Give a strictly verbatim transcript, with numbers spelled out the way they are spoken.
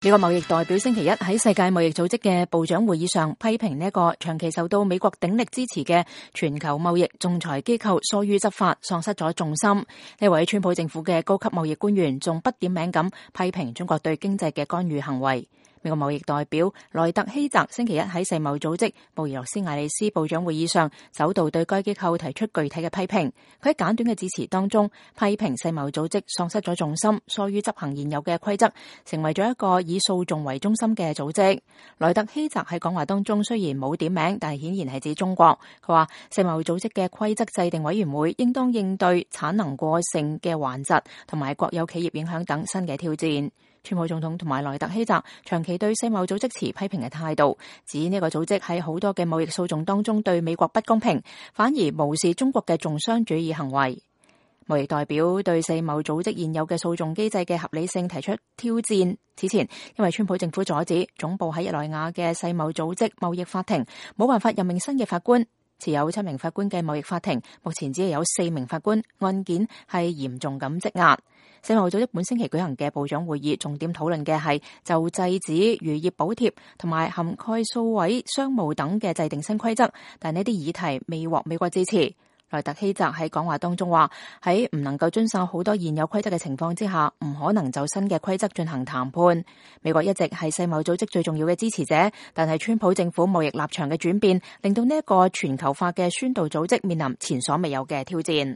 美國貿易代表星期一喺世界貿易組織嘅部長會議上批評呢一個長期受到美國鼎力支持嘅全球貿易仲裁機構疏於執法，喪失咗重心。呢位川普政府嘅高級貿易官員仲不點名咁批評中國對經濟嘅干預行為。美國貿易代表萊特希澤星期一喺世貿組織布宜諾斯艾利斯部長會議上首度對該機構提出具體嘅批評。佢喺簡短嘅致辭當中批評世貿組織喪失咗重心，疏於執行現有嘅規則，成為咗一個以訴訟為中心嘅組織。萊特希澤喺講話當中雖然冇點名，但係顯然係指中國。佢話世貿組織嘅規則制定委員會應當應對產能過剩嘅頑疾同埋國有企業影響等新嘅挑戰。川普總統同埋萊特希澤長期對世貿組織持批評嘅態度，指呢個組織喺好多嘅貿易訴訟當中對美國不公平，反而無視中國嘅重商主義行為。貿易代表對世貿組織現有嘅訴訟機制嘅合理性提出挑戰。此前因為川普政府阻止總部喺日內瓦嘅世貿組織貿易法庭冇辦法任命新嘅法官，持有七名法官嘅貿易法庭目前只係有四名法官，案件係嚴重咁積壓。世貿組織本星期舉行嘅部長會議重點討論嘅係就制止漁業補貼同埋涵蓋數位商務等嘅制定新規則，但呢啲議題未獲美國支持。萊特希澤喺講話當中話，喺唔能夠遵守好多現有規則嘅情況之下，唔可能就新嘅規則進行談判。美國一直係世貿組織最重要嘅支持者，但係川普政府貿易立場嘅轉變，令到呢一個全球化嘅宣導組織面臨前所未有嘅挑戰。